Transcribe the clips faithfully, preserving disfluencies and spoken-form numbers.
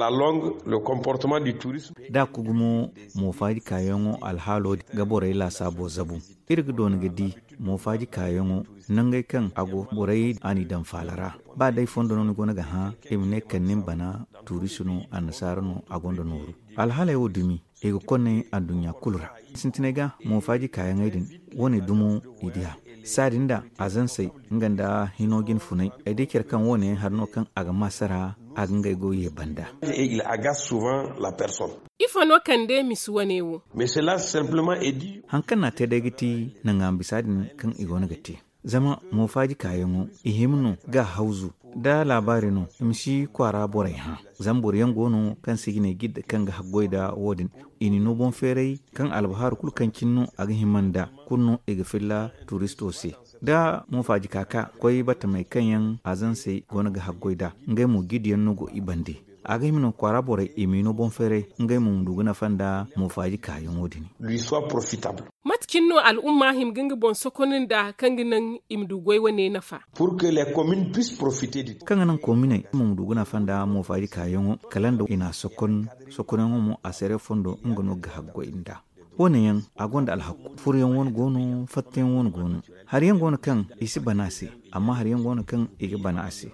along le comportement du tourisme. Da ku gumo, moofaaji kaayaŋo alhaalo ga borey laasaabo zabu. Iri ga doona ga di moofaaji kaayaŋo nangey kaŋ a go borey a n'i daŋ faala ra. Ba day fondo no ni go no ga hã, i ma ne kala ni ma bana, tuurisu no, annasaara no a gonda nooru. Alhaaley wo dumi, i ga konnay adduɲɲa kulu ra. Sintinay ga moofaaji kaayaŋey din, wo- ne dumo i di a. Saadin da azansey nga nda hino jine funay, ay di care kaŋ wo- ne yaŋ hari no kaŋ a ga maasara, a ga ngey goyo ye banda. Ifo no kande misi wane wo? Haŋ kaŋ n'a te day ga ti naŋ a ma bisa din kaŋ i go no ga te. Zama moofaaji kaayaŋo, i hima no ga hawzu nda laabaari no, i ma si kwaara borey hã. Zama boro yaŋ go no kaŋ se i ga ne jidda kaŋ ga haggoy nda wo- din. I n'i no boŋ feeray kaŋ albahaaru kulu kaŋ cine no a ga hima nda kulu no i ga filla tuuristo se. Da moofaaji ka ka koy batamey kaŋ yaŋ azansey go no ga haggoy nd'a, ngey mo jidda yaŋ no go i bande. A ga hima no kwaara borey i m'i no boŋ feeray, ngey mo ma du ga nafa nda moofaaji kaayaŋo din. Mate cine no al'umma hima ga nga boŋ sokon nda kaŋ ga naŋ i ma du goy wane nafa? Kaŋ ga naŋ koominey mo ma du ga nafa nda moofaaji kaayaŋo, kala nda i n'a sokon. Sokonyaŋo mo a sere fondo nga no ga haggoy nda wo- ne yaŋ, a gonda alhakku. Furoyaŋ wane go no, fattayaŋ wane go no. Hari yaŋ go no kaŋ i si bana a se, amma hari yaŋ go no kaŋ i ga bana a se.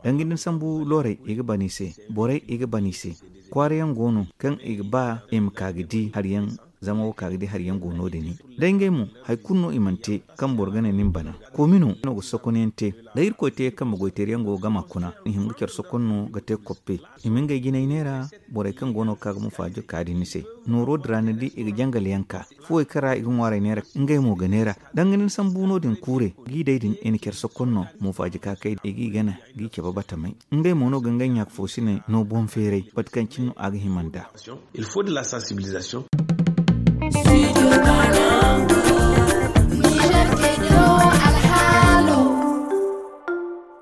Danga din sambu loorey i ga bana i se, borey i ga bana i se. Kwaara yaŋ go no kaŋ i ga ba i ma ka ga di hari yaŋ. Zama wo ka ga di hari yaŋ go no- din. Day ngey mo, hari kulu no i mana te kaŋ boro ga ne ni ma bana. Koomino no ga sokonyaŋ te. Day irkoy te kambe goy teeri yaŋ go ga gama kuna, i hima ga care sokon no ga te koppe. I ma ngey jinay neera. Borey kaŋ go no ga ka ga mufaajo ka din ni se. Nooro din ra ni di i ga jangal yaŋ ka. Fuwey kaŋ ra i ga ŋwaaray neera, ngey mo ga neera. Danga din sambu no- din kuure, g'i day din i na care sokon no. Mufaaji ka kay i g'i gana, g'i cabe batamey. Ngey mo no ga ngey ɲaaka fo siney no boŋ feeray mate kaŋ cine no a ga hima nda. Il faut de la sensibilisation.